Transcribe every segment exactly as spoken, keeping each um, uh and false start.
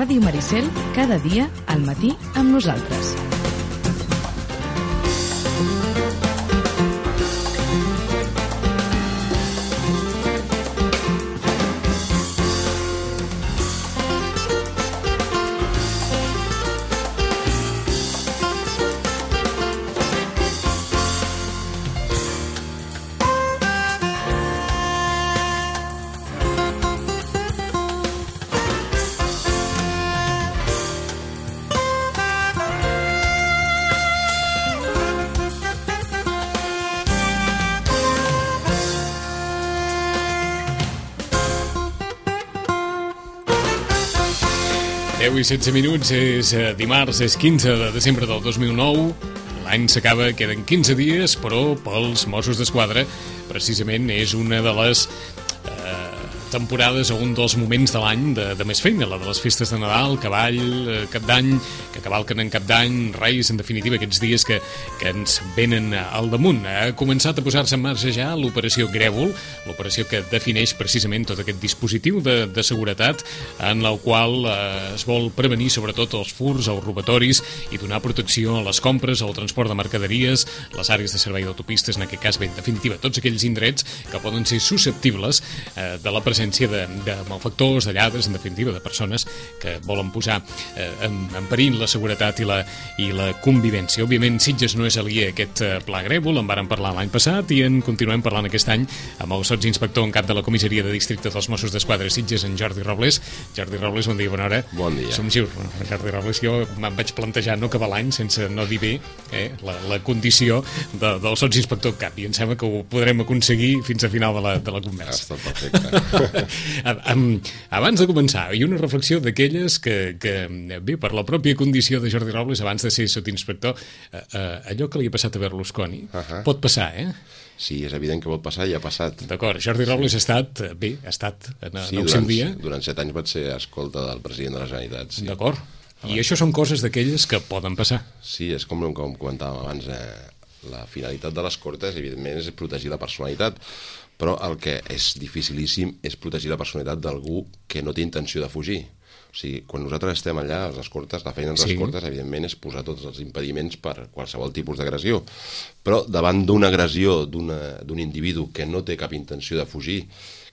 Ràdio Maricel, cada dia al matí amb nosaltres. deu i setze minuts, és dimarts, és quinze de desembre del dos mil nou. L'any s'acaba, queden quinze dies, però pels Mossos d'Esquadra precisament és una de les eh, temporades o un dels moments de l'any de, de més feina, la de les festes de Nadal, Cavall, eh, Cap d'Any, que cavalquen en Cap d'Any, Reis, en definitiva, aquests dies que, que ens venen al damunt. Ha començat a posar-se en marxa ja l'operació Grèvol, l'operació que defineix precisament tot aquest dispositiu de, de seguretat en el qual eh, es vol prevenir sobretot els furs, els robatoris i donar protecció a les compres, al transport de mercaderies, les àrees de servei d'autopistes, en aquest cas, bé, en definitiva, tots aquells indrets que poden ser susceptibles eh, de la presència de, de malfactors, de lladres, en definitiva, de persones que volen posar eh, en, en perill la seguretat i la, i la convivència. Òbviament, Sitges no és aliè a aquest eh, pla Grèvol, en vàrem parlar l'any passat i en continuem parlant aquest any amb el sotsinspector en cap de la comissaria de districte dels Mossos d'Esquadra Sitges, en Jordi Robles. Jordi Robles, bon dia, bona hora. Bon dia. Som giur, Jordi Robles, jo me'n vaig plantejar no acabar l'any sense no dir bé eh, la, la condició de, del sotsinspector en cap, i em sembla que ho podrem aconseguir fins a final de la, de la conversa. Està perfecte. Abans de començar, hi ha una reflexió d'aquelles que, que, bé, per la pròpia condició de Jordi Robles, abans de ser sotsinspector, eh, eh, allò que li ha passat a Berlusconi, uh-huh. pot passar, eh? Sí, és evident que pot passar i ha passat. D'acord, Jordi Robles sí. ha estat, bé, ha estat en, sí, en el durant, seu dia. Durant set anys vaig ser escolta del president de la Generalitat. Sí. D'acord. I això són coses d'aquelles que poden passar. Sí, és com, com comentàvem abans, eh, la finalitat de les cortes, evidentment, és protegir la personalitat, però el que és dificilíssim és protegir la personalitat d'algú que no té intenció de fugir. O sigui, quan nosaltres estem allà, a les cortes, la feina de les sí. cortes, evidentment, és posar tots els impediments per qualsevol tipus d'agressió. Però davant d'una agressió d'un individu que no té cap intenció de fugir,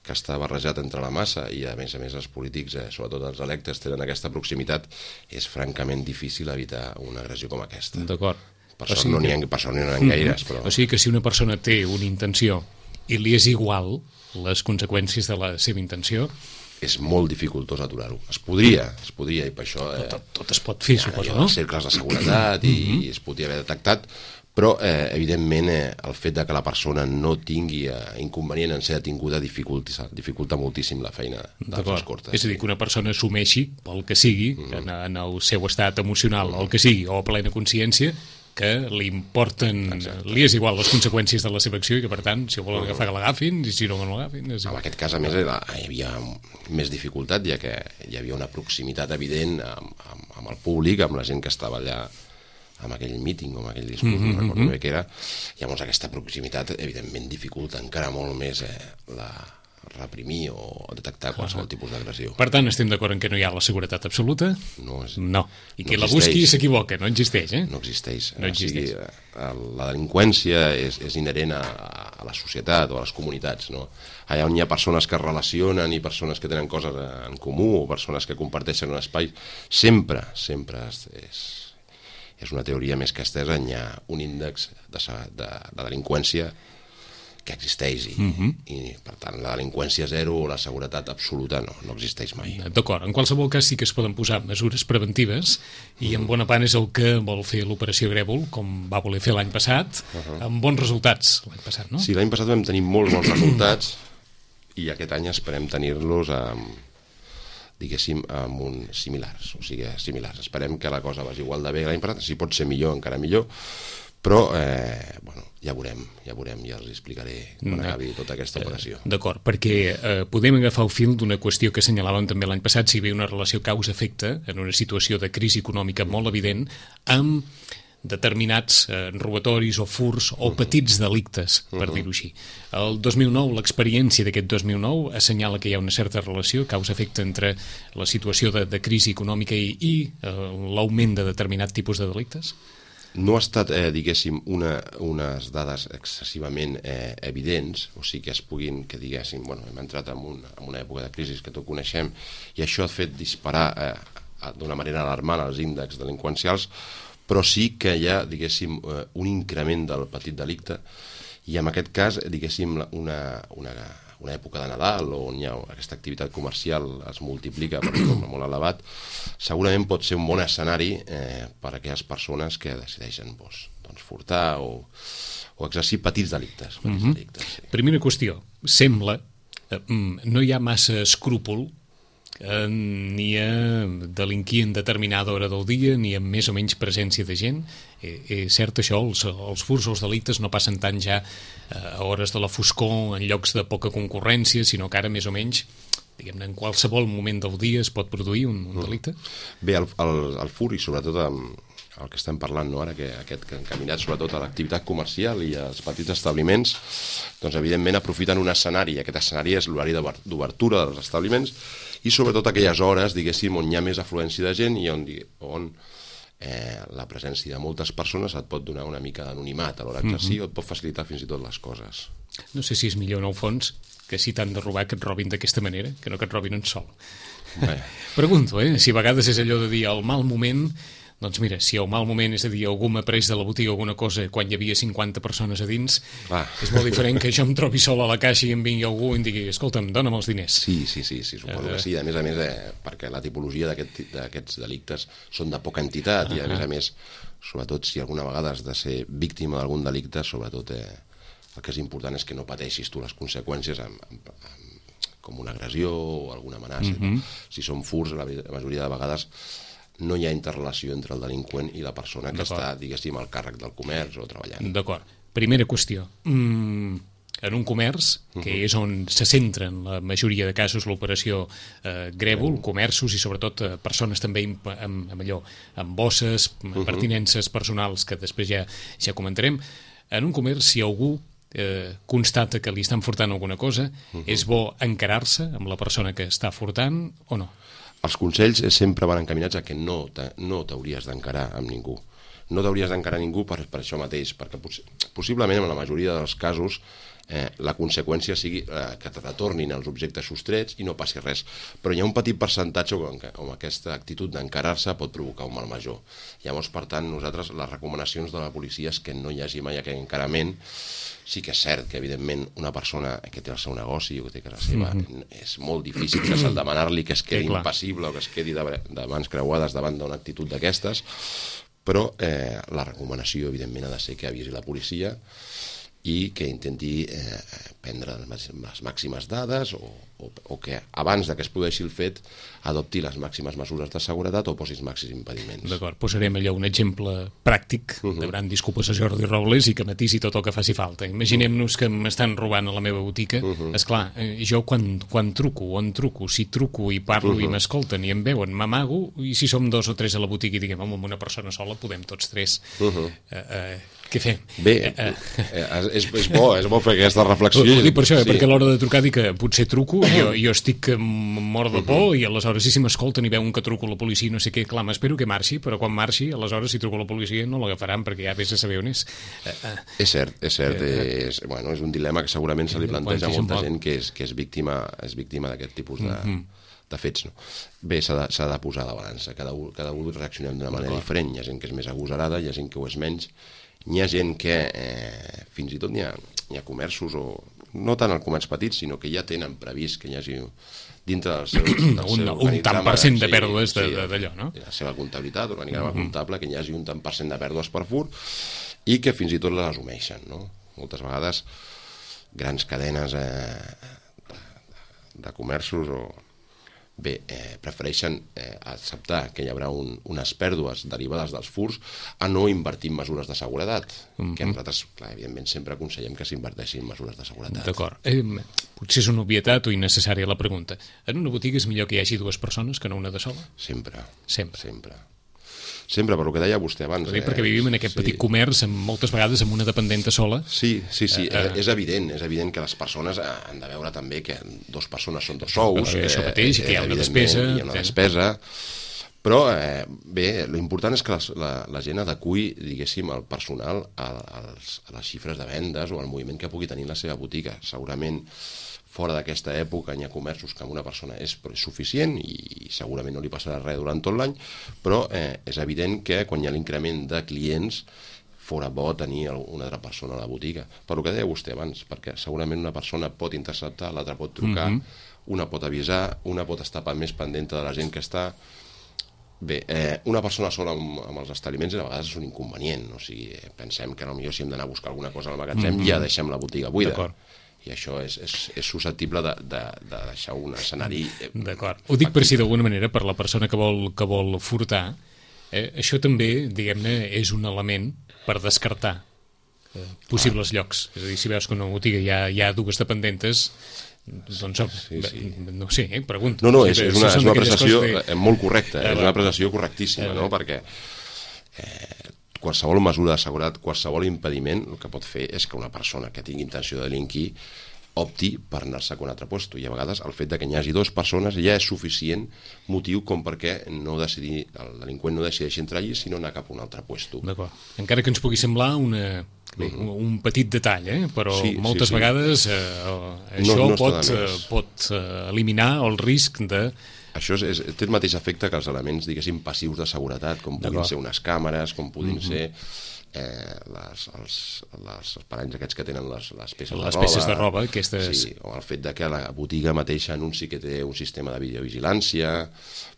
que està barrejat entre la massa, i a més a més els polítics, eh, sobretot els electes, tenen aquesta proximitat, és francament difícil evitar una agressió com aquesta. D'acord. Per sort no n'hi ha, per sort no n'hi ha gaires, però... O sigui que si una persona té una intenció i li és igual les conseqüències de la seva intenció, és molt dificultós aturar-ho. Es podria, es podria, i per això... Eh, tot, tot es pot fer, suposo, no? Hi ha cercles de seguretat i, i es podria haver detectat, però, eh, evidentment, eh, el fet de que la persona no tingui eh, inconvenient en ser detinguda dificulta, dificulta moltíssim la feina de les cortes. És a dir, que una persona assumeixi, pel que sigui, mm. en, en el seu estat emocional, mm. el que sigui, o a plena consciència, que li importen, exacte. Li és igual les conseqüències de la seva acció i que, per tant, si ho volen agafar, que l'agafin, i si no, que no l'agafin. En aquest cas, a més, hi havia més dificultat, ja que hi havia una proximitat evident amb, amb, amb el públic, amb la gent que estava allà amb aquell míting o amb aquell discurs, mm-hmm, no recordo bé què era. Llavors, aquesta proximitat, evidentment, dificulta encara molt més eh, la... reprimir o detectar qualsevol tipus d'agressió. Per tant, estem d'acord en que no hi ha la seguretat absoluta? No. És, no. I qui no la busqui s'equivoca, no existeix, eh? No existeix. No existeix. O sigui, la delinqüència és, és inherent a, a la societat o a les comunitats, no? Allà on hi ha persones que es relacionen i persones que tenen coses en comú o persones que comparteixen un espai, sempre, sempre és, és, és una teoria més que estesa, hi ha un índex de, de, de delinqüència que existeix i, uh-huh. i per tant la delinqüència zero o la seguretat absoluta no, no existeix mai. D'acord, en qualsevol cas sí que es poden posar mesures preventives i en bona part és el que vol fer l'operació Grèvol, com va voler fer l'any passat, uh-huh. amb bons resultats l'any passat, no? Sí, l'any passat vam tenir molts bons resultats i aquest any esperem tenir-los amb, diguéssim, amb un similars, o sigui, similars. Esperem que la cosa vagi igual de bé l'any passat, si pot ser millor, encara millor, però, eh, bueno, ja veurem, ja veurem, ja els explicaré quan no. acabi tota aquesta operació. D'acord, perquè eh, podem agafar el fil d'una qüestió que assenyalàvem també l'any passat, si hi havia una relació causa-efecte en una situació de crisi econòmica molt evident, amb determinats eh, robatoris o furs o petits delictes, per uh-huh. dir-ho així. El dos mil nou, l'experiència d'aquest dos mil nou assenyala que hi ha una certa relació, causa-efecte entre la situació de, de crisi econòmica i, i eh, l'augment de determinat tipus de delictes? No ha estat, eh, diguéssim, una, unes dades excessivament eh, evidents, o sigui que es puguin, que diguéssim, bueno, hem entrat en, un, en una època de crisi que tots coneixem, i això ha fet disparar eh, d'una manera alarmant els índexs delinqüencials, però sí que hi ha, diguéssim, eh, un increment del petit delicte, i en aquest cas, diguéssim, una, una, una època de Nadal on hi ha aquesta activitat comercial es multiplica per un nombre molt elevat, segurament pot ser un bon escenari eh, per a aquelles persones que decideixen doncs, doncs furtar o, o exercir petits delictes. Petits mm-hmm. delictes sí. Primera qüestió, sembla eh, no hi ha massa escrúpol eh, ni a delinquir en determinada hora del dia ni amb més o menys presència de gent. Eh, és cert això, els, els furs o els delictes no passen tant ja eh, a hores de la foscor en llocs de poca concurrència, sinó que ara més o menys diguem-ne, en qualsevol moment del dia es pot produir un, un delicte? Bé, el, el, el fur i sobretot amb el que estem parlant, no? Ara, que aquest que encaminat sobretot a l'activitat comercial i als petits establiments, doncs evidentment aprofiten un escenari, i aquest escenari és l'horari d'obertura dels establiments i sobretot aquelles hores, diguéssim, on hi ha més afluència de gent i on, on eh, la presència de moltes persones et pot donar una mica d'anonimat a l'hora d'exercir mm-hmm. o et pot facilitar fins i tot les coses. No sé si és millor en el fons que si t'han de robar que et robin d'aquesta manera, que no que et robin un sol. Bé. Pregunto, eh, si a vegades és allò de dir el mal moment. Doncs mira, si el mal moment, és a dir, algú m'ha pres de la botiga alguna cosa quan hi havia cinquanta persones a dins, Clar. És molt diferent que jo em trobi sol a la caixa i em vingui algú i em digui, escolta'm, dona'm els diners. Sí, sí, sí, sí suposo uh, que sí. A més a més, eh, perquè la tipologia d'aquests aquest, delictes són de poca entitat uh -huh. i a més a més, sobretot si alguna vegada has de ser víctima d'algun delicte, sobretot eh, el que és important és que no pateixis tu les conseqüències amb, amb, amb, com una agressió o alguna amenaça. Uh -huh. No? Si són furs, la majoria de vegades no hi ha interrelació entre el delinqüent i la persona que està, diguéssim, al càrrec del comerç o treballant. D'acord. Primera qüestió. Mm, en un comerç, que uh-huh. és on se centra en la majoria de casos l'operació eh, grèvol, uh-huh. comerços i sobretot eh, persones també amb, amb, amb allò, amb bosses, uh-huh. pertinences personals, que després ja, ja comentarem. En un comerç, si algú eh, constata que li estan furtant alguna cosa, uh-huh. és bo encarar-se amb la persona que està furtant o no? Els consells sempre van encaminats a que no t'hauries d'encarar amb ningú. No t'hauries d'encarar a ningú per, per això mateix, perquè poss possiblement en la majoria dels casos eh, la conseqüència sigui eh, que te retornin els objectes sostrets i no passi res. Però hi ha un petit percentatge on, on aquesta actitud d'encarar-se pot provocar un mal major. Llavors, per tant, nosaltres les recomanacions de la policia és que no hi hagi mai aquest encarament. Sí que és cert que, evidentment, una persona que té el seu negoci o que té casa seva, mm-hmm. és molt difícil que s'ha de demanar-li que es quedi sí, impassible o que es quedi de, de mans creuades davant d'una actitud d'aquestes, però eh, la recomanació, evidentment, ha de ser que avisi la policia i que intenti eh, prendre les màximes dades o, o, o que abans de que es produeixi el fet adopti les màximes mesures de seguretat o posi els màxims impediments. D'acord, posarem allò un exemple pràctic, uh-huh. demanant disculpes a Jordi Robles i que matisi tot el que faci falta. Imaginem-nos que m'estan robant a la meva botiga. Uh-huh. Esclar, jo quan, quan truco, on truco, si truco i parlo uh-huh. i m'escolten i em veuen, m'amago, i si som dos o tres a la botiga i diguem, home, amb una persona sola podem tots tres. Uh-huh. Uh, uh, què fem? Bé, uh, uh, és, és bo, és bo fer aquesta reflexió. Ho dic per això, sí. perquè a l'hora de trucar dic que potser truco, jo, jo estic mort de por uh-huh. i aleshores si m'escolten i veuen que truco a la policia no sé què, clar, m'espero que marxi, però quan marxi, aleshores si truco a la policia no l'agafaran perquè ja vés a saber on és. Uh, uh, és cert, és cert. Uh, és, bueno, és un dilema que segurament se li planteja a molta gent que és, que és víctima, és víctima d'aquest tipus de... Uh-huh. de fets, no? Bé, s'ha de, de posar de balança. Cada un, cada un reaccionem d'una manera diferent. Hi ha gent que és més agosarada, hi ha gent que ho és menys. Hi ha gent que eh, fins i tot hi ha, hi ha comerços, o no tant el comerç petit, sinó que ja tenen previst que hi hagi dintre del seu, del un, seu un tant per cent de sí, pèrdues sí, d'allò, no? La seva comptabilitat, organigrama uh-huh. comptable, que hi hagi un tant per cent de pèrdues per fur i que fins i tot les assumeixen, no? Moltes vegades grans cadenes eh, de, de comerços o bé, eh, prefereixen eh, acceptar que hi haurà un, unes pèrdues derivades dels furs a no invertir en mesures de seguretat, mm-hmm. que nosaltres, clar, evidentment, sempre aconsellem que s'inverteixi en mesures de seguretat. D'acord. Eh, potser és una obvietat o innecessària la pregunta. En una botiga és millor que hi hagi dues persones que no una de sola? Sempre. Sempre. Sempre. Sempre, per el que deia vostè abans. Eh, perquè vivim en aquest sí. petit comerç, amb, moltes vegades amb una dependenta sola. Sí, sí, sí, eh, eh. és evident, és evident que les persones han de veure també que dos persones són dos sous. Però això mateix, eh, que hi ha una despesa. Hi ha una despesa, però eh, bé, l'important és que les, la, la gent adequi, diguéssim, el personal a, a, les, a les xifres de vendes o al moviment que pugui tenir la seva botiga. Segurament fora d'aquesta època hi ha comerços que amb una persona és suficient i segurament no li passarà res durant tot l'any, però eh, és evident que quan hi ha l'increment de clients fora bo tenir una altra persona a la botiga. Per el que deia vostè abans, perquè segurament una persona pot interceptar, l'altra pot trucar, mm-hmm. una pot avisar, una pot estar més pendent de la gent que està... Bé, eh, una persona sola amb, amb els establiments a vegades és un inconvenient, o sigui, pensem que potser si hem d'anar a buscar alguna cosa al magatzem mm-hmm. ja deixem la botiga buida. D'acord. I això és, és, és susceptible de, de, de deixar un escenari... D'acord. Ho dic per si d'alguna manera, per la persona que vol, que vol furtar, eh, això també, diguem-ne, és un element per descartar eh, possibles ah. llocs. És a dir, si veus que en una botiga hi ha, hi ha dues dependentes, doncs sí, sí. no sé, eh, pregunto. No, no, és, és una, és una apreciació de... molt correcta, eh, és una apreciació correctíssima, eh, no? Perquè eh, qualsevol mesura de seguretat, qualsevol impediment, el que pot fer és que una persona que tingui intenció de delinquir opti per anar-se a un altre lloc. I a vegades el fet de que n'hi hagi dues persones ja és suficient motiu com perquè no decidir, el delinqüent no decideixi entrar allí, sinó anar cap a un altre lloc. D'acord. Encara que ens pugui semblar una... Bé, mm-hmm. un petit detall, eh? Però sí, moltes sí, sí. vegades eh, això no, no pot, eh, pot eh, eliminar el risc de... Això és, és, té el mateix efecte que els elements, diguéssim, passius de seguretat, com puguin ser unes càmeres, com puguin mm-hmm. ser eh, les, els, les parells aquests que tenen les, les peces les de roba. Les peces de roba, aquestes... Sí, o el fet de que la botiga mateixa anunci que té un sistema de videovigilància...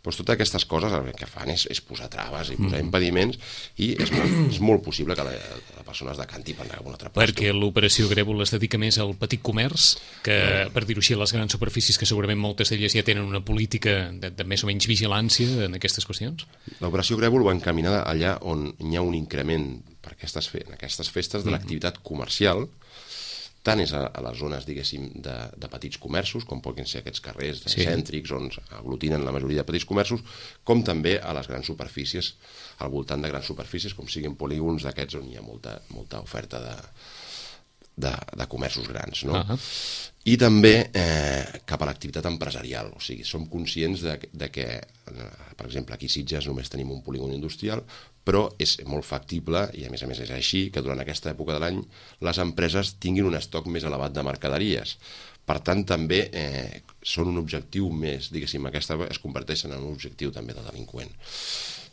Doncs totes aquestes coses el que fan és, és posar traves i posar mm. impediments i és molt, és molt possible que la, la persona es decanti per anar a un altre lloc. Perquè l'operació Grèvol es dedica més al petit comerç que, mm. per dir-ho així, a les grans superfícies, que segurament moltes d'elles ja tenen una política de, de més o menys vigilància en aquestes qüestions? L'operació Grèvol va encaminada allà on hi ha un increment per aquestes, fe en aquestes festes de mm. l'activitat comercial, tant és a, a les zones, diguéssim, de, de petits comerços, com poden ser aquests carrers sí. cèntrics, on aglutinen la majoria de petits comerços, com també a les grans superfícies, al voltant de grans superfícies, com siguin polígons d'aquests on hi ha molta, molta oferta de, de, de comerços grans, no? Uh-huh. I també eh, cap a l'activitat empresarial, o sigui, som conscients de, de que, per exemple, aquí a Sitges només tenim un polígon industrial, però és molt factible, i a més a més és així, que durant aquesta època de l'any les empreses tinguin un estoc més elevat de mercaderies. Per tant, també eh, són un objectiu més, diguéssim, aquesta es converteixen en un objectiu també de delinqüent.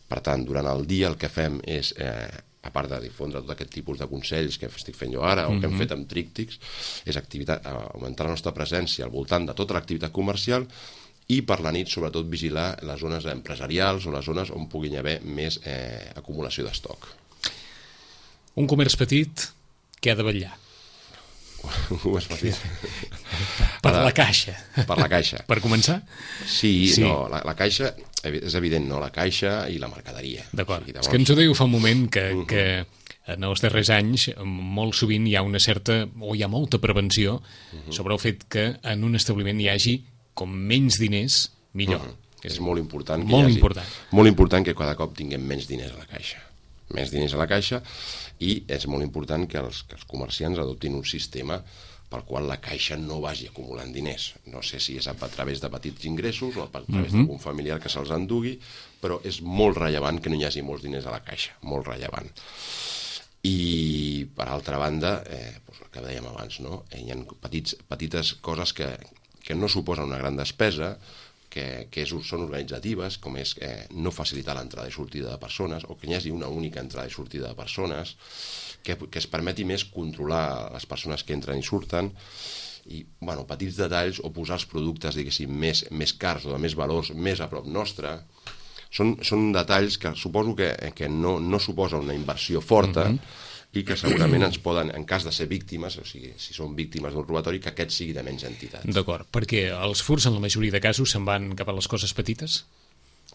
Per tant, durant el dia el que fem és, eh, a part de difondre tot aquest tipus de consells que estic fent jo ara, o que hem fet amb tríptics, és activitat, augmentar la nostra presència al voltant de tota l'activitat comercial i per la nit, sobretot, vigilar les zones empresarials o les zones on puguin haver més eh, acumulació d'estoc. Un comerç petit que ha de vetllar. Un comerç petit. Per la caixa. Per la caixa. Per començar? Sí, sí. no, la, la caixa, és evident, no, la caixa i la mercaderia. D'acord. O sigui, llavors... És que ens ho deia fa un moment que, uh-huh. que en els darrers anys molt sovint hi ha una certa, o hi ha molta prevenció uh-huh. sobre el fet que en un establiment hi hagi com menys diners, millor. Uh-huh. És molt important que molt hi hagi, important. Molt important que cada cop tinguem menys diners a la caixa. Més diners a la caixa, i és molt important que els, que els comerciants adoptin un sistema pel qual la caixa no vagi acumulant diners. No sé si és a, a través de petits ingressos o a través uh-huh. d'algun familiar que se'ls endugui, però és molt rellevant que no hi hagi molts diners a la caixa, molt rellevant. I, per altra banda, eh, doncs el que dèiem abans, no? hi ha petits, petites coses que, que no suposen una gran despesa, que, que és, són organitzatives, com és eh, no facilitar l'entrada i sortida de persones, o que hi hagi una única entrada i sortida de persones, que, que es permeti més controlar les persones que entren i surten, i bueno, petits detalls, o posar els productes, diguéssim, més, més cars o de més valors més a prop nostre. Són, són detalls que suposo que, que no, no suposa una inversió forta, mm-hmm. i que segurament ens poden, en cas de ser víctimes, o sigui, si són víctimes d'un robatori, que aquest sigui de menys entitat. D'acord, perquè els furts en la majoria de casos se'n van cap a les coses petites?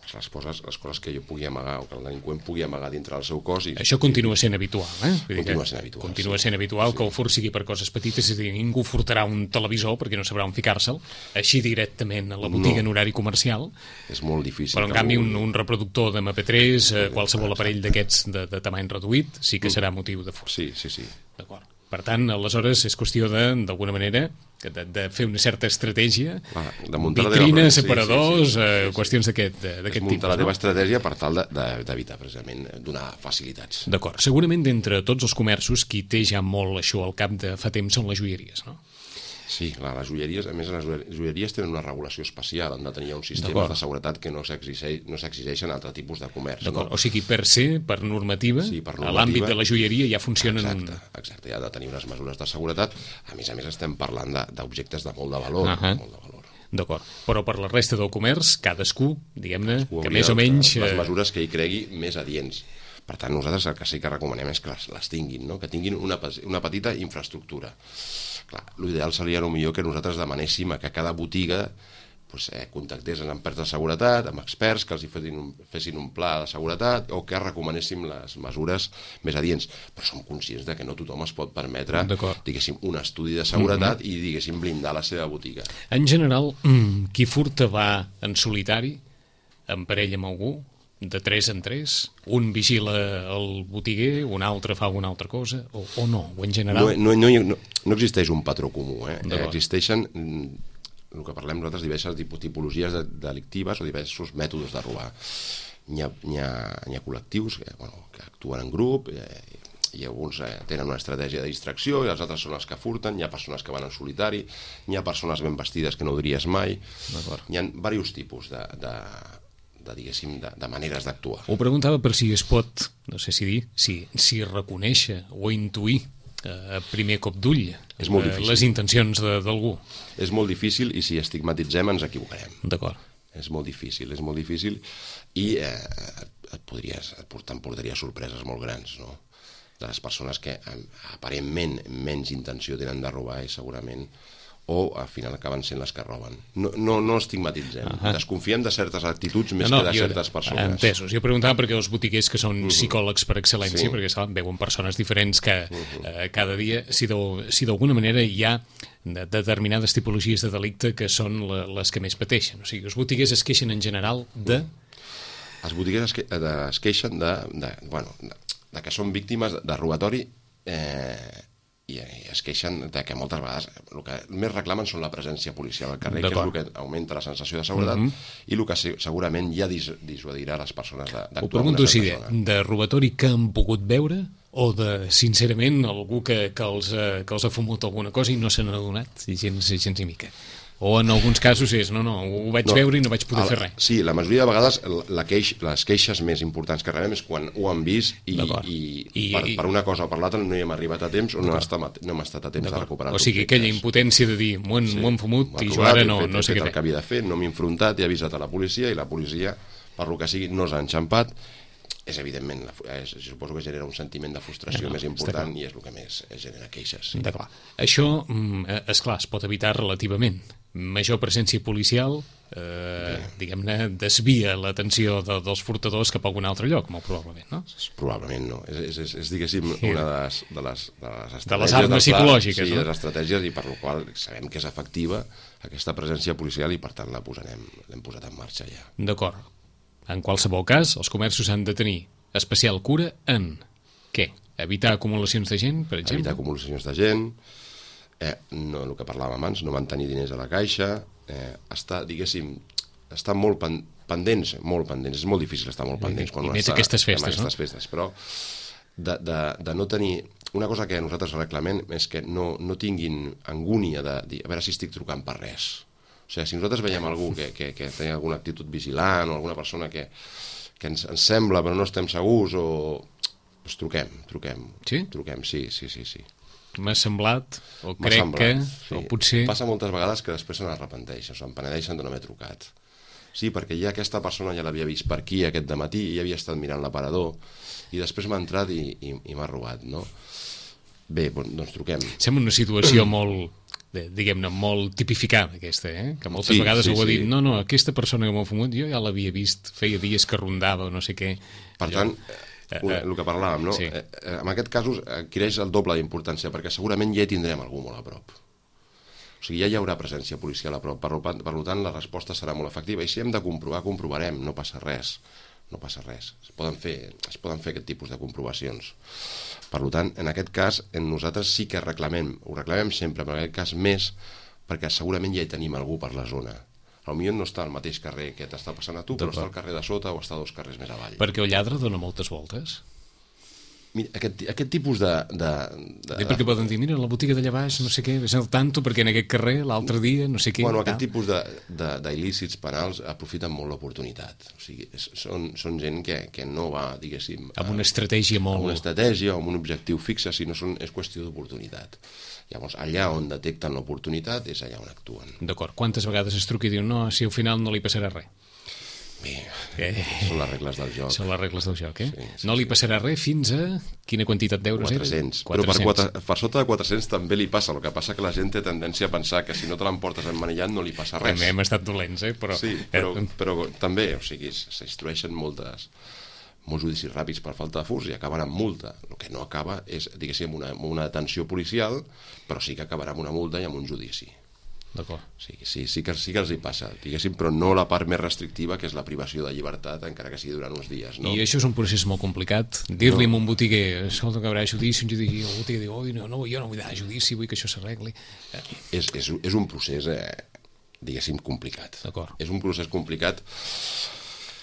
les coses, les coses que jo pugui amagar o que el delinqüent pugui amagar dintre del seu cos. I, Això continua sent habitual, eh? Continua sent habitual. Continua sí. sent habitual sí. que el furt sigui per coses petites, és a dir, ningú furtarà un televisor perquè no sabrà on ficar-se'l, així directament a la botiga no. en horari comercial. És molt difícil. Però en canvi un, un reproductor d'M P tres, eh, qualsevol aparell d'aquests de, de tamany reduït, sí que serà motiu de furt. Sí, sí, sí. D'acord. Per tant, aleshores, és qüestió de, d'alguna manera, de, de fer una certa estratègia, ah, de muntar vitrines, teva... separadors, sí, sí, sí, eh, sí, sí. qüestions d'aquest, d'aquest tipus. Muntar la teva no? estratègia per tal d'evitar, precisament, donar facilitats. D'acord. Segurament, d'entre tots els comerços, qui té ja molt això al cap de fa temps són les joieries, no? Sí, clar, les joieries, a més, les joieries tenen una regulació especial, han de tenir uns sistemes de seguretat que no s'exigeixen no s'exigeixen a altre tipus de comerç. D'acord, no? o sigui, per ser, per normativa, sí, per normativa, a l'àmbit de la joieria ja funcionen... Exacte, exacte, ha de tenir unes mesures de seguretat. A més a més, estem parlant d'objectes de, de molt de valor. Uh -huh. molt de valor. D'acord, però per la resta del comerç, cadascú, diguem-ne, que més o menys... Les mesures que hi cregui més adients. Per tant, nosaltres el que sí que recomanem és que les, les tinguin, no? Que tinguin una, una petita infraestructura. Clar, l'ideal seria millor que nosaltres demanéssim a que cada botiga pues, eh, contactés amb empreses de seguretat, amb experts que els hi fessin un, fessin un pla de seguretat o que recomanéssim les mesures més adients. Però som conscients de que no tothom es pot permetre, diguéssim, un estudi de seguretat mm-hmm. i, diguéssim, blindar la seva botiga. En general, qui furta va en solitari, en parella amb algú, de tres en tres, un vigila el botiguer, un altre fa alguna altra cosa, o, o no, o en general... No, no, no, no existeix un patró comú, eh? Existeixen, el que parlem nosaltres, diverses tipologies delictives o diversos mètodes de robar. N'hi ha, n'hi ha, n'hi ha col·lectius que, bueno, que actuen en grup, eh, i alguns eh, tenen una estratègia de distracció i els altres són els que furten, hi ha persones que van en solitari, hi ha persones ben vestides que no ho diries mai, hi ha diversos tipus de... de de, diguéssim, de, de maneres d'actuar. Ho preguntava per si es pot, no sé si dir, si, si reconèixer o intuir eh, a primer cop d'ull eh, les intencions d'algú. És molt difícil i si estigmatitzem ens equivocarem. D'acord. És molt difícil, és molt difícil i eh, et podries, t'emportaria sorpreses molt grans, no? De les persones que aparentment menys intenció tenen de robar i segurament o al final acaben sent les que roben. No, no, no estigmatitzem. Uh -huh. Desconfiem de certes actituds més no, no, que de jo, certes persones. Entesos. Jo preguntava perquè els botiguers que són uh -huh. psicòlegs per excel·lència, sí. perquè saben, veuen persones diferents que uh -huh. eh, cada dia, si d'alguna manera hi ha de determinades tipologies de delicte que són la, les que més pateixen. O sigui, els botiguers es queixen en general de... Els botiguers es, que, de, es queixen de, de, bueno, de, de que són víctimes de robatori eh, i es queixen de que moltes vegades el que més reclamen són la presència policial al carrer, que és el que augmenta la sensació de seguretat mm -hmm. i el que segurament ja dis dissuadirà les persones d'actuar. Ho pregunto si de, de robatori que han pogut veure o de, sincerament, algú que, que, els, que els ha fumut alguna cosa i no se n'ha adonat, gens, gens ni mica. O en alguns casos és, no, no, ho vaig no, veure i no vaig poder el, fer res. Sí, la majoria de vegades la queix, les queixes més importants que rebem és quan ho han vist i, i, I per, per una cosa o per l'altra no hi hem arribat a temps o no, estat, no hem estat a temps de recuperar. O sigui, aquella impotència de dir m'ho han, sí, han fumut i jo ara no, fet, no sé què fer. El que havia de fer, no m'he enfrontat, he avisat a la policia i la policia, per lo que sigui, no s'ha enxampat. És evidentment, és, suposo que genera un sentiment de frustració no, no, més important i és el que més genera queixes. Sí. D'acord. Això, esclar, es pot evitar relativament. Major presència policial, eh, diguem-ne, desvia l'atenció de, dels furtadors cap a algun altre lloc, molt probablement, no? Probablement no. És, és, és diguéssim, sí. una de les, de les, de les estratègies... De les armes psicològiques, sí, no? Sí, les estratègies, i per la qual sabem que és efectiva aquesta presència policial i, per tant, la posarem, l'hem posat en marxa ja. D'acord. En qualsevol cas, els comerços han de tenir especial cura en què? Evitar acumulacions de gent, per exemple? Evitar acumulacions de gent, eh, no, el que parlàvem abans, no mantenir diners a la caixa, eh, estar, diguéssim, estar molt pen, pendents, molt pendents, és molt difícil estar molt pendents quan I un més està aquestes festes, en aquestes no? festes, però de, de, de no tenir... Una cosa que nosaltres reclamem és que no, no tinguin angúnia de dir, a veure si estic trucant per res. O sigui, si nosaltres veiem algú que, que, que té alguna actitud vigilant o alguna persona que, que ens, ens sembla però no estem segurs o... Pues truquem, truquem. Sí? Truquem, sí, sí, sí, sí. M'ha semblat, o crec semblat, que... Sí. O potser... Passa moltes vegades que després se n'arrepenteixen, se'n penedeixen de no haver trucat. Sí, perquè ja aquesta persona ja l'havia vist per aquí aquest dematí i ja havia estat mirant l'aparador i després m'ha entrat i, i, i m'ha robat, no? Bé, doncs truquem. Sembla una situació molt de, diguem-ne, molt tipificada aquesta, eh? Que moltes Sí, vegades sí, algú ha dit, sí. no, no, aquesta persona que m'ha fumut jo ja l'havia vist, feia dies que rondava o no sé què. Per Allò, tant, eh, una, eh, el que parlàvem, no? sí. Eh, eh, en aquest cas adquireix el doble d'importància, perquè segurament ja hi tindrem algú molt a prop. O sigui, ja hi haurà presència policial a prop. Per, per tant, la resposta serà molt efectiva. I si hem de comprovar, comprovarem, no passa res. No passa res. Es poden fer, es poden fer aquest tipus de comprovacions. Per tant, en aquest cas, en nosaltres sí que reclamem, ho reclamem sempre, però en aquest cas més, perquè segurament ja hi tenim algú per la zona. Potser no està al mateix carrer que t'està passant a tu, però està al carrer de sota o està dos carrers més avall. Perquè el lladre dona moltes voltes. Mira, aquest, aquest tipus de... de, de I perquè poden dir, mira, la botiga d'allà baix, no sé què, ves al tanto, perquè en aquest carrer, l'altre dia, no sé què... Bueno, aquest tal. tipus de, de, d'il·lícits penals aprofiten molt l'oportunitat. O sigui, és, són, són gent que, que no va, diguéssim... Amb una estratègia molt... Amb una estratègia o amb un objectiu fixe, sinó són, és qüestió d'oportunitat. Llavors, allà on detecten l'oportunitat és allà on actuen. D'acord. Quantes vegades es truca i diu, no, si al final no li passarà res? Bé, Eh. són les regles del joc. Són les regles del joc, eh? Sí, sí, no li sí. passarà res fins a... Quina quantitat d'euros era? quatre-cents. Però per, quatre, per sota de quatre-cents també li passa. El que passa que la gent té tendència a pensar que si no te l'emportes emmanillat no li passa res. També hem estat dolents, eh? Però, Sí, però, eh, però també, o sigui, s'instrueixen moltes, molts judicis ràpids per falta de furs i acaben amb multa. El que no acaba és, diguéssim, una, una detenció policial, però sí que acabarà amb una multa i amb un judici. D'acord. Sí, sí, sí, que, sí que els hi passa, diguéssim, però no la part més restrictiva, que és la privació de llibertat, encara que sigui durant uns dies, no? I això és un procés molt complicat. Dir-li no. a un botiguer, escolta, que haurà judici, un judici, el botiguer diu, oi, no, no, jo no vull dar judici, vull que això s'arregli. Eh, És, és, és un procés, eh, diguéssim, complicat. D'acord. És un procés complicat.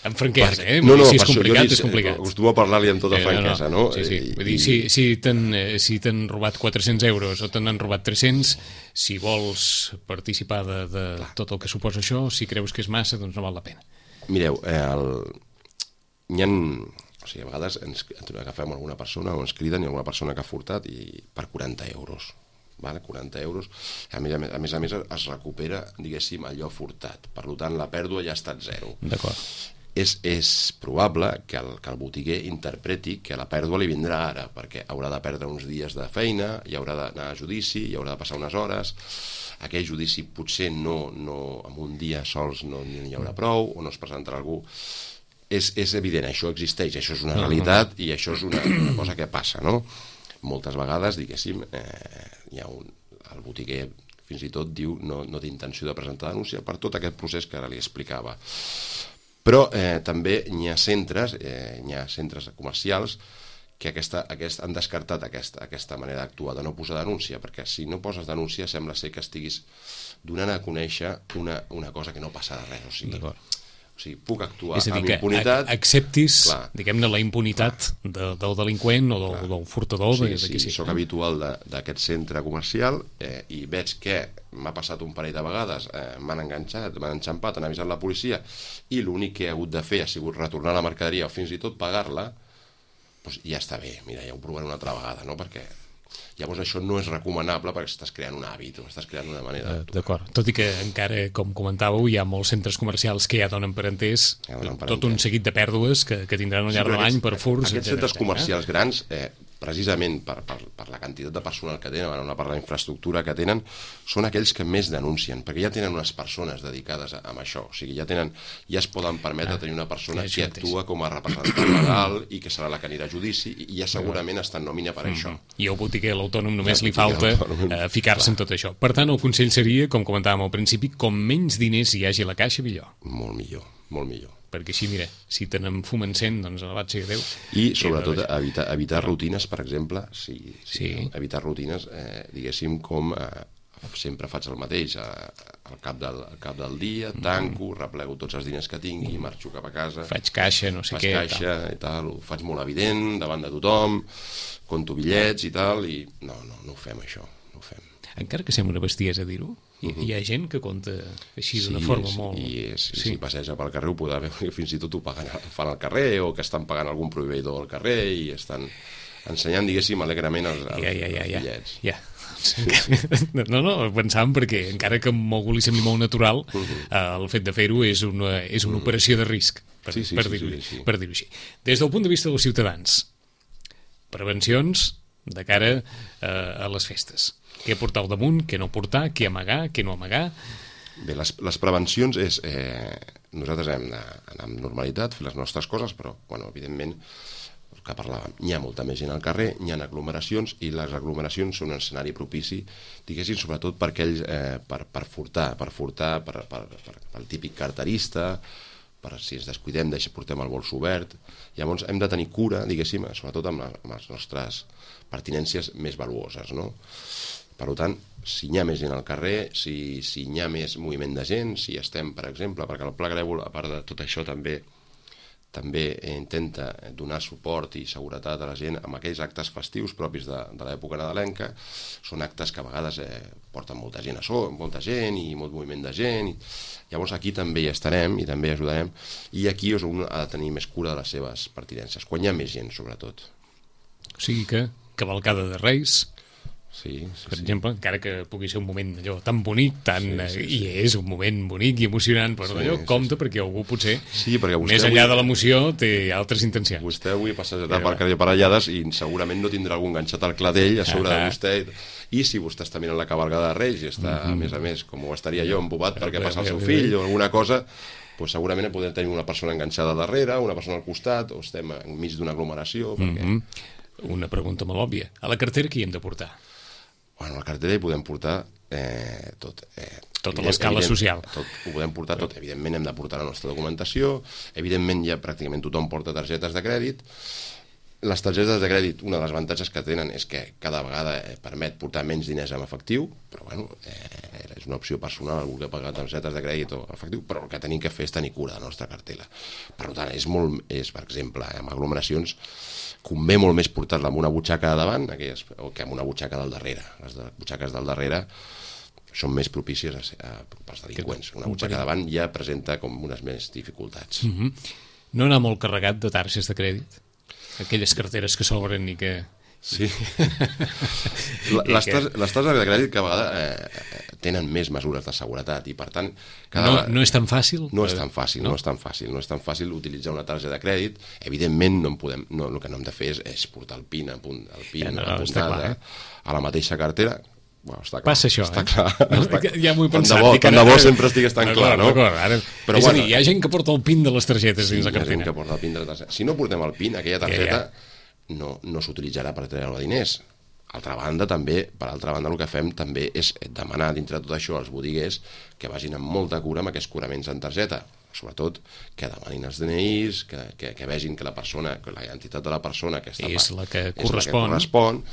Amb franquesa, Perquè- eh? No, Vull no, dir, si és per això jo complicat, dic, és complicat. Acostumo a parlar-li amb tota Eh, franquesa, no? Sí, sí. I- Vull dir, si, si t'han eh, si t'han robat quatre-cents euros o t'han robat tres-cents, si vols participar de, de tot el que suposa això, si creus que és massa, doncs no val la pena. Mireu, eh, el... hi ha... O sigui, a vegades ens, ens agafem alguna persona o ens criden i alguna persona que ha furtat i per quaranta euros. Vale? quaranta euros. A més a més, a més, a més es recupera, diguéssim, allò furtat. Per tant, la pèrdua ja ha estat zero. D'acord. És, és probable que el, que el botiguer interpreti que la pèrdua li vindrà ara, perquè haurà de perdre uns dies de feina, hi haurà d'anar a judici, hi haurà de passar unes hores, aquell judici potser no, no en un dia sols no n'hi haurà prou, o no es presentarà algú. És, és evident, això existeix, això és una realitat i això és una, una cosa que passa, no? Moltes vegades, diguéssim, eh, hi ha un, el botiguer fins i tot diu no, no té intenció de presentar denúncia per tot aquest procés que ara li explicava. Però eh, també hi ha centres, eh, hi ha centres comercials que aquesta, aquest, han descartat aquesta, aquesta manera d'actuar, de no posar denúncia, perquè si no poses denúncia sembla ser que estiguis donant a conèixer una, una cosa que no passa de res. O sigui, o sigui puc actuar és a dir, amb que impunitat. acceptis, clar, diguem-ne, la impunitat de, del delinqüent o del, del furtador. Sí, de, de sí, sí, soc habitual d'aquest centre comercial eh, i veig que m'ha passat un parell de vegades, eh, m'han enganxat, m'han enxampat, han avisat la policia i l'únic que he hagut de fer ha sigut retornar la mercaderia o fins i tot pagar-la, doncs ja està bé, mira, ja ho provaré una altra vegada, no? Perquè llavors això no és recomanable perquè estàs creant un hàbit o estàs creant una manera d'actuar. D'acord, tot i que encara, com comentàveu, hi ha molts centres comercials que ja donen per entès Ja donen per tot un entès. seguit de pèrdues que, que tindran al Sí, llarg però de l'any aquests- per furs, Aquests etcètera, centres etcètera. comercials grans, eh, precisament per, per, per la quantitat de personal que tenen, no per la infraestructura que tenen, són aquells que més denuncien, perquè ja tenen unes persones dedicades a, a això. O sigui, ja tenen, ja es poden permetre Ah, tenir una persona ja que mateix. actua com a representant legal i que serà la que anirà a judici i ja segurament està en nòmina per això. I al botiguer, a l'autònom, només I al li falta botiguer, a l'autònom, eh, ficar-se en tot això. Per tant, el consell seria, com comentàvem al principi, com menys diners hi hagi a la caixa, millor. Molt millor, molt millor. Perquè així, mira, si te n'enfumen cent, doncs alabat sigui Déu. I sobretot evitar, evitar rutines, per exemple, sí, sí, Sí. evitar rutines, eh, diguéssim, com eh, sempre faig el mateix, eh, al, cap del, al cap del dia, tanco, replego tots els diners que tingui, marxo cap a casa, Faig caixa, no sé faig què. caixa i tal, ho faig molt evident davant de tothom, conto bitllets i tal, i no, no, no ho fem això, no ho fem. Encara que sembla una bestiesa dir-ho, hi, hi ha gent que compta així d'una Sí, forma és, molt... i és, Sí. si passeja pel carrer ho podrà veure, fins i tot ho paguen, fan al carrer o que estan pagant algun proveïdor al carrer i estan ensenyant, diguéssim, alegrament els, els, Ja, ja, ja, els ja. bitllets. ja. No, no, pensàvem perquè encara que a algú li sembli molt natural, eh, el fet de fer-ho és una, és una operació de risc, per, Sí, sí, per sí, dir-ho sí, sí. per dir-ho així. Des del punt de vista dels ciutadans, prevencions de cara eh, a les festes? Què portar al damunt, què no portar, què amagar, què no amagar? Bé, les, les prevencions és... Eh, nosaltres hem d'anar amb normalitat, fer les nostres coses, però, bueno, evidentment, el que parlàvem, hi ha molta més gent al carrer, hi ha aglomeracions, i les aglomeracions són un escenari propici, diguéssim, sobretot per aquells, eh, per, per furtar, per furtar, per, per, per, per el típic carterista, per si ens descuidem, deixa, portem el bols obert. Llavors hem de tenir cura, diguéssim, sobretot amb, la, amb les nostres pertinències més valuoses, no? Per tant, si hi ha més gent al carrer, si, si hi ha més moviment de gent, si estem, per exemple, perquè el Pla Grèvol, a part de tot això, també també intenta donar suport i seguretat a la gent amb aquells actes festius propis de, de l'època nadalenca. Són actes que a vegades eh, porten molta gent a so, molta gent i molt moviment de gent. I, llavors aquí també hi estarem i també ajudarem. I aquí és un ha de tenir més cura de les seves pertinences, quan hi ha més gent, sobretot. O sigui que cavalcada de Reis... Sí, sí, per sí. exemple, encara que pugui ser un moment allò tan bonic, tan, sí, sí, sí. i és un moment bonic i emocionant, però sí, allò sí, compta sí. perquè algú potser, sí, perquè més enllà avui, de l'emoció, té altres intencions. Vostè avui passejarà per carrer Parellades i segurament no tindrà algun enganxat al cladell a sobre ah, de vostè, i si vostè està mirant la cavalcada de Reis i està, mm -hmm. a més a més, com ho estaria jo, embobat perquè passa el seu fill o alguna cosa, pues segurament podem tenir una persona enganxada darrere, una persona al costat, o estem enmig d'una aglomeració. Perquè... Mm -hmm. Una pregunta molt òbvia. A la cartera qui hem de portar? Bueno, a la cartera hi podem portar eh, tot. Eh, tota l'escala social. Tot, ho podem portar tot. Evidentment hem de portar la nostra documentació, evidentment ja pràcticament tothom porta targetes de crèdit. Les targetes de crèdit, una de les avantatges que tenen és que cada vegada eh, permet portar menys diners en efectiu, però bueno, eh, és una opció personal algú que paga targetes de crèdit o efectiu, però el que tenim que fer és tenir cura de la nostra cartera. Per tant, és molt, és, per exemple, amb aglomeracions, convé molt més portar-la amb una butxaca de davant aquelles, que amb una butxaca del darrere. Les de, butxaques del darrere són més propícies a, a, pels delinqüents. Una butxaca de davant ja presenta com unes més dificultats. Mm-hmm. No anar molt carregat de targes de crèdit? Aquelles carteres que s'obren i que... Sí. les, tas, les tases de crèdit que a vegades eh, tenen més mesures de seguretat i per tant... Cada... No, no és tan fàcil? No és tan fàcil, no? no és tan fàcil. No és tan fàcil utilitzar una targeta de crèdit. Evidentment, no en podem, no, el que no hem de fer és, és portar el PIN, el PIN ja, no, apuntat eh? a la mateixa cartera. Bueno, està clar, passa això, està eh? clar. No, està... Ja m'ho he pensat. Tant de bo, tant de bo sempre estigués tan clar, no? Ara... Però, és bueno, a dir, hi ha gent que porta el PIN de les targetes sí, dins la cartera. Hi ha gent que porta el PIN de la targeta. Si no portem el PIN, aquella targeta ja, ja. no, no s'utilitzarà per treure diners. Altra banda, també, per altra banda, el que fem també és demanar dintre de tot això als botiguers que vagin amb molta cura amb aquests coraments en targeta. Sobretot que demanin els D N Is, que, que, que vegin que la persona, que la identitat de la persona que està és la que és correspon. La que correspon.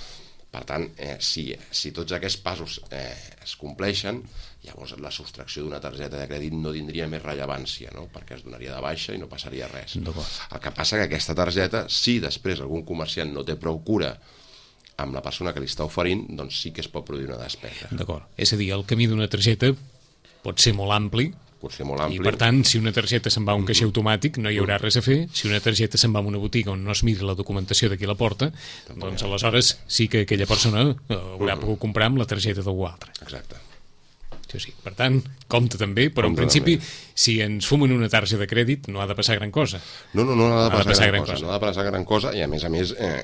Per tant, eh, si, si tots aquests passos eh, es compleixen, llavors la sostracció d'una targeta de crèdit no tindria més rellevància, no? Perquè es donaria de baixa i no passaria res. El que passa que aquesta targeta, si després algun comerciant no té prou cura amb la persona que li està oferint, doncs sí que es pot produir una despesa. D'acord. És a dir, el camí d'una targeta pot ser molt ampli, pot ser molt ampli. I per tant, si una targeta se'n va a un caixer automàtic no hi haurà res a fer. Si una targeta se'n va a una botiga on no es miri la documentació de qui la porta, doncs aleshores sí que aquella persona haurà pogut comprar amb la targeta d'algú altre. Exacte. Sí, sí. Per tant, compte també, però en principi, si ens fumen una targeta de crèdit no ha de passar gran cosa. No, no, no ha de passar, ha de passar gran, gran cosa. cosa. No ha de passar gran cosa i a més a més, eh,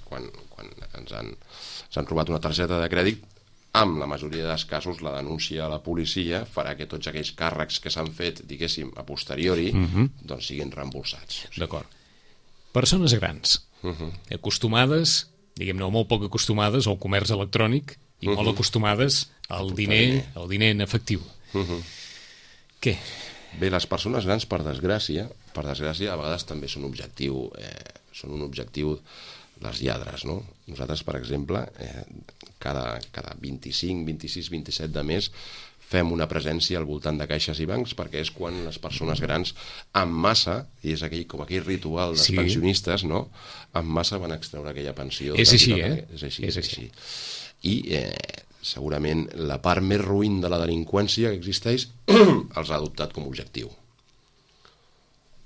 quan, quan ens han, ens han robat una targeta de crèdit, amb la majoria dels casos la denúncia a la policia farà que tots aquells càrrecs que s'han fet, diguéssim, a posteriori, uh-huh. doncs siguin reembolsats. O sigui. D'acord. Persones grans, uh-huh. acostumades, diguem-ne, molt poc acostumades al comerç electrònic i uh-huh. molt acostumades al diner, al diner en efectiu. Uh-huh. Què? Bé, les persones grans, per desgràcia, per desgràcia, a vegades també són objectiu, eh, són un objectiu les lladres, no? Nosaltres, per exemple, eh, cada, cada vint-i-cinc, vint-i-sis, vint-i-set de mes fem una presència al voltant de caixes i bancs perquè és quan les persones grans en massa, i és aquell, com aquell ritual dels sí. pensionistes, no? En massa van extreure aquella pensió. És així, eh? És així, és així. I eh, segurament la part més ruïn de la delinqüència que existeix els ha adoptat com a objectiu.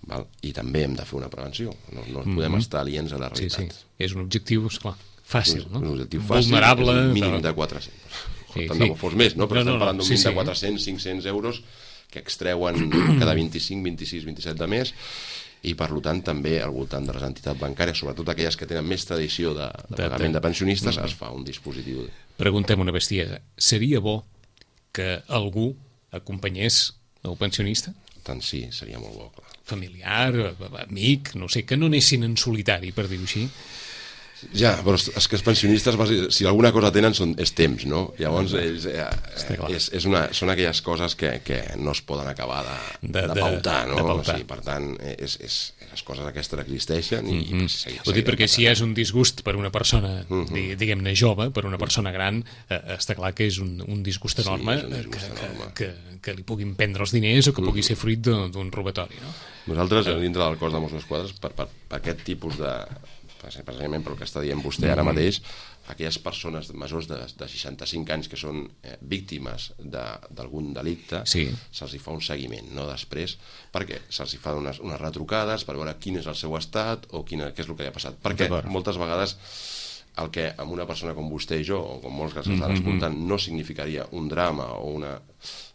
Val? I també hem de fer una prevenció, no, no podem mm-hmm. estar aliens a la realitat. Sí, sí. És un objectiu, esclar, fàcil, no? Un objectiu fàcil, vulnerable, és un mínim de quatre-cents. Sí, tant sí. de bo fos més, no? Però no, estem no, parlant d'un sí, mínim sí. de quatre-cents, cinc-cents euros que extreuen cada vint-i-cinc, vint-i-sis, vint-i-set de mes i per tant també al voltant de les entitats bancàries, sobretot aquelles que tenen més tradició de, de pagament de pensionistes, es fa un dispositiu. Preguntem una bestiesa. Seria bo que algú acompanyés el pensionista? Tant sí, seria molt bo, clar. Familiar, amic, no sé, que no anessin en solitari, per dir-ho així. Ja, però és que els pensionistes, si alguna cosa tenen, són, és temps, no? Llavors, ells, eh, és, és una, són aquelles coses que, que no es poden acabar de, de, de pautar, no? De pautar. O sigui, per tant, és, és, les coses aquestes existeixen i... Mm -hmm. i Ho dic perquè si és un disgust per una persona, mm -hmm. diguem-ne, jove, per una persona gran, eh, està clar que és un, un disgust enorme, sí, un disgust que, enorme. Que, que, que li puguin prendre els diners o que pugui mm -hmm. ser fruit d'un robatori, no? Nosaltres, dintre del cos de Mossos d'Esquadra, per, per, per aquest tipus de... precisament pel que està dient vostè ara mateix, aquelles persones majors de, de seixanta-cinc anys que són eh, víctimes d'algun de, delicte, sí. se'ls fa un seguiment, no? Després, perquè se'ls fa unes, unes retrucades per veure quin és el seu estat o quina, què és el que li ha passat. Perquè moltes vegades el que amb una persona com vostè i jo, o com molts que s'estan mm -hmm. escoltant, no significaria un drama o una...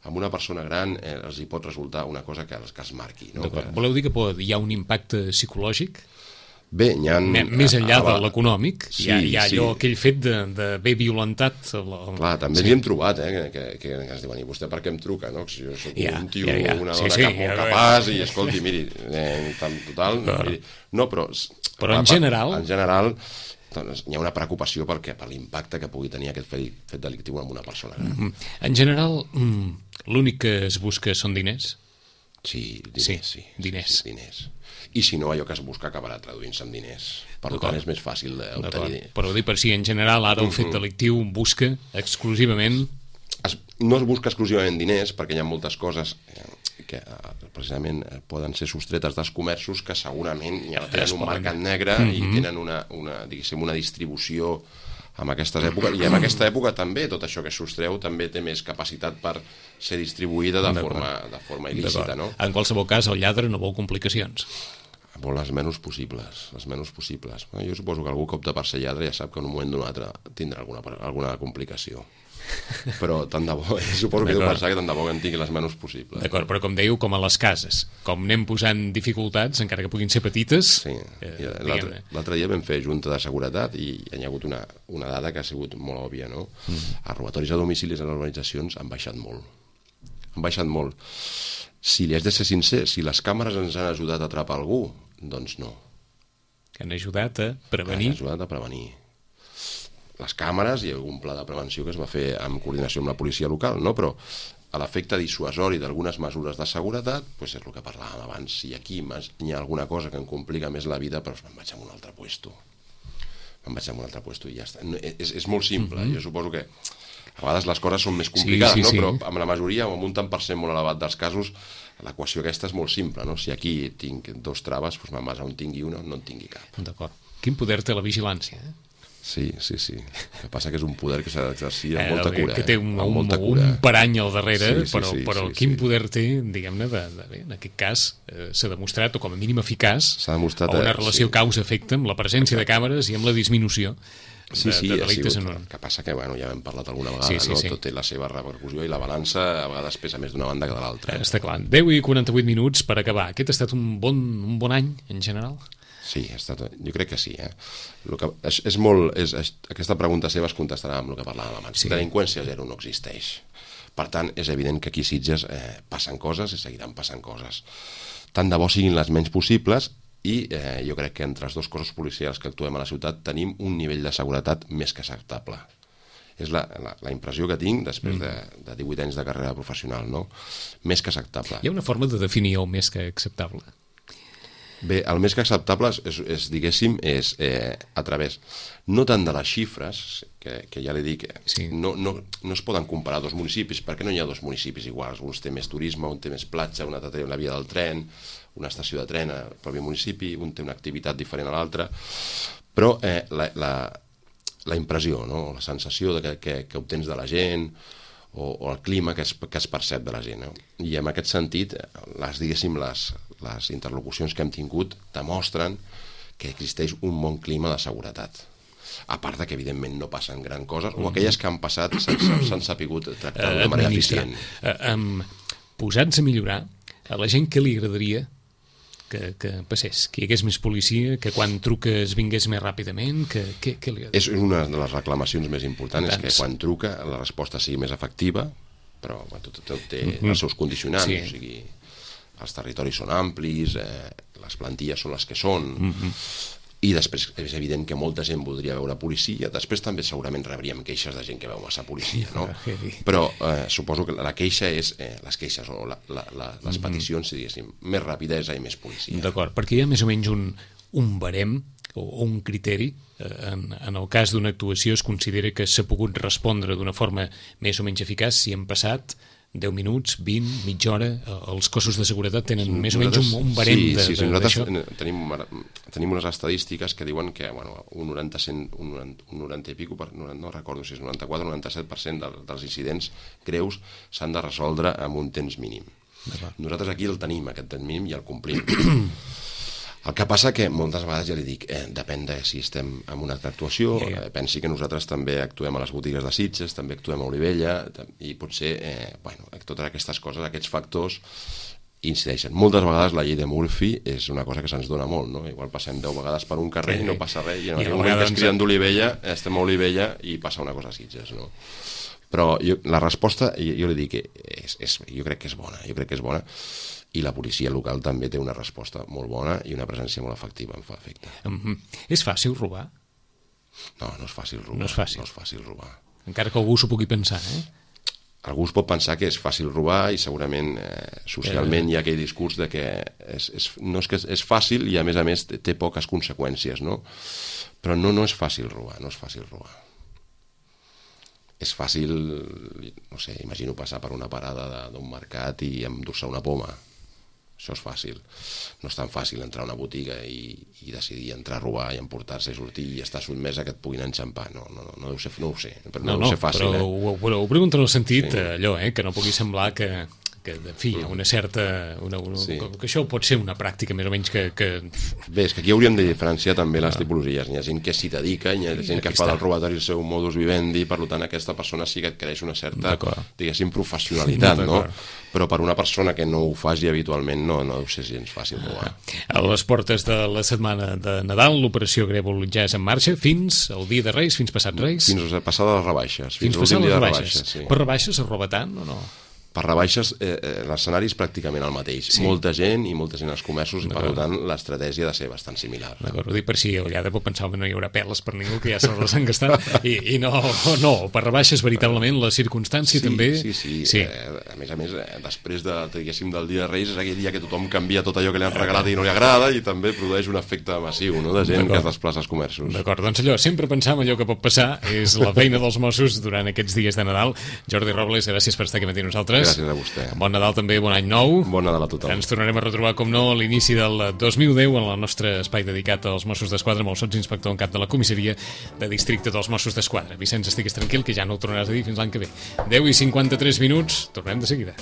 amb una persona gran eh, els hi pot resultar una cosa que els que es marqui. No? Que... Voleu dir que pot, hi ha un impacte psicològic? Bé, hi ha... Més enllà de l'econòmic, sí, hi ha, hi ha sí. allò, aquell fet d'haver violentat... El, el... Clar, també sí. ens hi hem trobat, eh, que, que, que ens diuen, i vostè per què em truca, no? Si jo soc ja, un tio, ja, ja. una dona sí, sí, cap molt ja, capaç, ja. i escolti, miri, eh, en total... No, miri, no però... Però en general... En general, doncs, hi ha una preocupació perquè, per l'impacte que pugui tenir aquest fet, fet delictiu amb una persona gran. Mm -hmm. En general, mm, l'únic que es busca són diners? Sí, diners, sí. sí diners. Sí, diners. I si no, allò que es busca acabarà traduint-se en diners. Per tant, és més fàcil d'obtenir. Però dir per si, en general, ara el fet delictiu busca exclusivament... Es, no es busca exclusivament diners, perquè hi ha moltes coses que precisament poden ser sostretes dels comerços que segurament ja tenen un mercat negre mm -hmm. i tenen una, una, diguéssim, una distribució en aquestes èpoques, i en aquesta època també tot això que sostreu també té més capacitat per ser distribuïda de forma, de forma il·lícita, no? En qualsevol cas, el lladre no vol complicacions. Vol les menys possibles, les menys possibles. Jo suposo que algú que opta per ser lladre ja sap que en un moment d'un altre tindrà alguna, alguna complicació. Però tant de bo, suposo que deu pensar que tant de bo que en tingui les menys possibles. D'acord, però com dèieu, com a les cases, com anem posant dificultats, encara que puguin ser petites... Sí, eh, l'altre dia vam fer junta de seguretat i hi ha hagut una, una dada que ha sigut molt òbvia, no? Mm. Els robatoris a domicilis a les urbanitzacions han baixat molt. Han baixat molt. Si li has de ser sincer, si les càmeres ens han ajudat a atrapar algú, doncs no. Que han ajudat a prevenir? Han ajudat a prevenir. Les càmeres, hi ha un pla de prevenció que es va fer en coordinació amb la policia local, no? Però a l'efecte dissuasori d'algunes mesures de seguretat, doncs és el que parlàvem abans. Si aquí hi ha alguna cosa que em complica més la vida, doncs me'n vaig a un altre puesto. Me'n vaig a un altre puesto i ja està. És, és molt simple. Mm-hmm. Jo suposo que a vegades les coses són més complicades, sí, sí, no? Sí. Però amb la majoria, o amb un tant per cent molt elevat dels casos, l'equació aquesta és molt simple, no? Si aquí tinc dos traves, doncs me'n vas a on tingui una, no en tingui cap. D'acord. Quin poder té la vigilància, eh? Sí, sí, sí. El que passa que és un poder que s'ha d'exercir amb eh, molta cura. Que té un, eh? un, molta cura. un parany al darrere, sí, sí, però, sí, però sí, quin sí. poder té, diguem-ne, de, de, bé, en aquest cas eh, s'ha demostrat, o com a mínim eficaç, s'ha demostrat, una relació sí. causa-efecte amb la presència Exacte. de càmeres i amb la disminució de, sí, sí, de delictes sigut, en un... El que passa que, bueno, ja hem parlat alguna vegada, sí, sí, no? Sí. Tot té la seva repercussió i la balança a vegades pesa més d'una banda que de l'altra. Eh, està clar. deu i quaranta-vuit minuts per acabar. Aquest ha estat un bon, un bon any, en general? Sí, ha estat, jo crec que sí. Eh? Lo que, és, és molt, és, és, aquesta pregunta seva es contestarà amb el que parlàvem abans. Sí. Delinqüència zero no existeix. Per tant, és evident que aquí a Sitges eh, passen coses i seguiran passant coses. Tant de bo siguin les menys possibles i eh, jo crec que entre els dos cossos policials que actuem a la ciutat tenim un nivell de seguretat més que acceptable. És la, la, la impressió que tinc després mm. de, de divuit anys de carrera professional, no? Més que acceptable. Hi ha una forma de definir el més que acceptable? Bé, el més que acceptable és, és diguéssim, és eh, a través, no tant de les xifres, que, que ja li dic, sí. no, no, no es poden comparar dos municipis, perquè no hi ha dos municipis iguals, un té més turisme, un té més platja, un altre té una via del tren, una estació de tren al propi municipi, un té una activitat diferent a l'altra, però eh, la, la, la impressió, no? La sensació de que, que, que obtens de la gent, o, o el clima que es, que es percep de la gent. No? I en aquest sentit, les, diguéssim, les, les interlocucions que hem tingut demostren que existeix un bon clima de seguretat. A part de que, evidentment, no passen gran coses, o aquelles que han passat s'han sapigut tractar d'una manera eficient. Uh, um, Posats a millorar, a la gent què li agradaria que, que passés? Que hi hagués més policia, que quan truques vingués més ràpidament? Que, que, que li... És una de les reclamacions més importants, és que quan truca la resposta sigui més efectiva, però bueno, tot, tot té mm-hmm. els seus condicionants, sí. O sigui, els territoris són amplis, eh, les plantilles són les que són, mm-hmm. i després és evident que molta gent voldria veure policia, després també segurament rebríem queixes de gent que veu massa policia, no? Però eh, suposo que la queixa és, eh, les queixes o la, la, la, les peticions, diguéssim, més rapidesa i més policia. D'acord, perquè hi ha més o menys un, un barem o, o un criteri, eh, en, en el cas d'una actuació es considera que s'ha pogut respondre d'una forma més o menys eficaç si han passat deu minuts, vint, mitja hora, els cossos de seguretat tenen sí, més o menys un, un barem sí, de, sí, sí, de, nosaltres d'això. Tenim, tenim unes estadístiques que diuen que bueno, un noranta, cent, un noranta, un noranta i pico, per, no recordo si és noranta-quatre o noranta-set per cent del, dels incidents greus s'han de resoldre amb un temps mínim. Nosaltres aquí el tenim, aquest temps mínim, i el complim. El que passa que moltes vegades ja li dic, eh, depèn de si estem en una altra actuació, yeah, yeah. Eh, pensi que nosaltres també actuem a les botigues de Sitges, també actuem a Olivella, i potser, eh, bueno, totes aquestes coses, aquests factors incideixen. Moltes vegades la llei de Murphy és una cosa que se'ns dona molt, no? Igual passem deu vegades per un carrer sí, i no passa res, i en el moment que es criden d'Olivella, estem a Olivella i passa una cosa a Sitges, no? Però jo, la resposta, jo, jo li dic que és, és, jo crec que és bona, jo crec que és bona, i la policia local també té una resposta molt bona i una presència molt efectiva, em fa efecte. Mm-hmm. És fàcil robar? No, no és fàcil robar. No és fàcil. No és fàcil robar. Encara que algú s'ho pugui pensar, eh? Algú es pot pensar que és fàcil robar i segurament eh, socialment eh... hi ha aquell discurs de que és, és, no és que és fàcil i a més a més té poques conseqüències, no? Però no, no és fàcil robar, no és fàcil robar. És fàcil, no sé, imagino passar per una parada d'un mercat i endur-se una poma. Això és fàcil. No és tan fàcil entrar a una botiga i, i decidir entrar a robar i emportar-se i sortir i estar sotmès a que et puguin enxampar. No, no, no, no, deu ser, no ho sé, però no, no deu ser fàcil. Però, eh? ho, però ho pregunto en el sentit, sí. allò, eh, que no pugui semblar que, que en fi, hi ha una certa... Una, una, sí. que això pot ser una pràctica més o menys que... que... Bé, és que aquí hauríem de diferenciar també les tipologies. Hi ha gent que s'hi dedica, hi ha gent que fa del robatori el seu modus vivendi, per tant aquesta persona sí que adquireix una certa, diguéssim, professionalitat, no? Però per una persona que no ho faci habitualment no, no deu ser gens fàcil robar. A les portes de la setmana de Nadal, l'operació Grèvol ja és en marxa fins al dia de Reis, fins passat Reis? Fins a passar les rebaixes. Fins, fins passar les rebaixes. rebaixes sí. Per rebaixes es roba tant o no? Per rebaixes, eh, eh, l'escenari és pràcticament el mateix. Sí. Molta gent i molta gent als comerços, i per tant l'estratègia ha de ser bastant similar. D'acord, ho dic per si allà de pot pensar que no hi haurà peles per ningú, que ja se les han gastat, i, i no, no, per rebaixes veritablement la circumstància sí, també... Sí, sí, sí. Eh, a més a més, eh, després de, diguéssim, del dia de Reis, és aquell dia que tothom canvia tot allò que li han regalat i no li agrada, i també produeix un efecte massiu, no?, de gent que es desplaça als comerços. D'acord, doncs allò, sempre pensar en allò que pot passar, és la feina dels Mossos durant aquests dies de Nadal. Jordi Robles, gràcies per estar aquí amb nosaltres. Gràcies a vostè. Bon Nadal també, bon any nou. Bon Nadal a tothom. Ens tornarem a retrobar, com no, a l'inici del dos mil deu en el nostre espai dedicat als Mossos d'Esquadra amb el sotsinspector en cap de la comissaria de districte dels Mossos d'Esquadra. Vicenç, estigues tranquil, que ja no ho tornaràs a dir fins l'any que ve. deu i cinquanta-tres minuts, tornem de seguida.